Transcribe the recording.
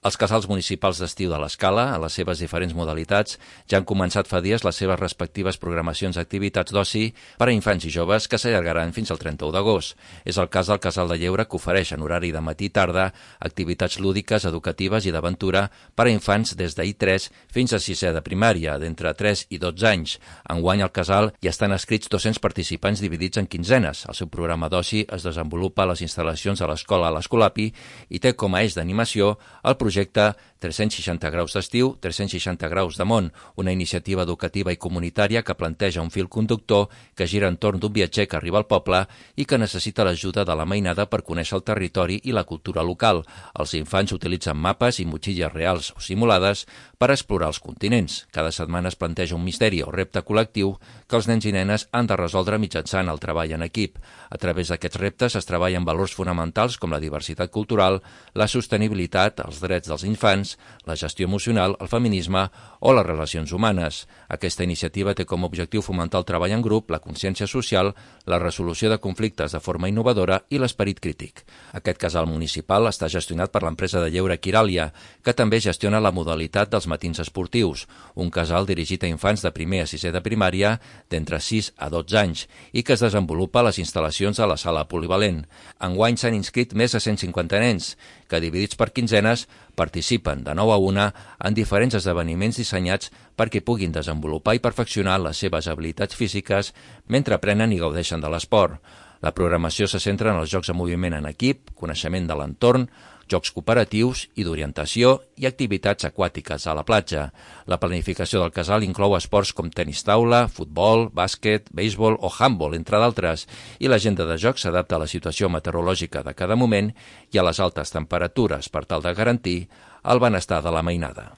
Els casals municipals d'estiu de l'Escala, a les seves diferents modalitats, ja han començat fa dies les seves respectives programacions d'activitats d'oci per a infants i joves que s'allargaran fins al 31 d'agost. És el cas del Casal de Lleure, que ofereix en horari de matí i tarda activitats lúdiques, educatives i d'aventura per a infants des d'I3 fins a 6è de primària, d'entre 3 i 12 anys. Enguany al casal hi estan inscrits 200 participants dividits en quinzenes. El seu programa d'oci es desenvolupa a les instal·lacions de l'escola a l'Escolapi i té com a eix d'animació el projecte 360 graus d'estiu, 360 graus de món, una iniciativa educativa i comunitària que planteja un fil conductor que gira entorn d'un viatger que arriba al poble i que necessita l'ajuda de la mainada per conèixer el territori i la cultura local. Els infants utilitzen mapes i motxilles reals o simulades per explorar els continents. Cada setmana es planteja un misteri o repte col·lectiu que els nens i nenes han de resoldre mitjançant el treball en equip. A través d'aquests reptes es treballen valors fonamentals com la diversitat cultural, la sostenibilitat, els drets dels infants, la gestió emocional, el feminisme o les relacions humanes. Aquesta iniciativa té com a objectiu fomentar el treball en grup, la consciència social, la resolució de conflictes de forma innovadora i l'esperit crític. Aquest casal municipal està gestionat per l'empresa de lleure Quiràlia, que també gestiona la modalitat dels matins esportius, un casal dirigit a infants de primer a 6è de primària d'entre 6 a 12 anys i que es desenvolupa a les instal·lacions de la sala polivalent. Enguany s'han inscrit més de 150 nens, que dividits per quinzenes participen de 9 a 1 en diferents esdeveniments dissenyats perquè puguin desenvolupar i perfeccionar les seves habilitats físiques mentre aprenen i gaudeixen de l'esport. La programació se centra en els jocs de moviment en equip, coneixement de l'entorn, jocs cooperatius i d'orientació i activitats aquàtiques a la platja. La planificació del casal inclou esports com tenis taula, futbol, bàsquet, béisbol o handbol, entre d'altres, i l'agenda de jocs s'adapta a la situació meteorològica de cada moment i a les altes temperatures per tal de garantir el benestar de la mainada.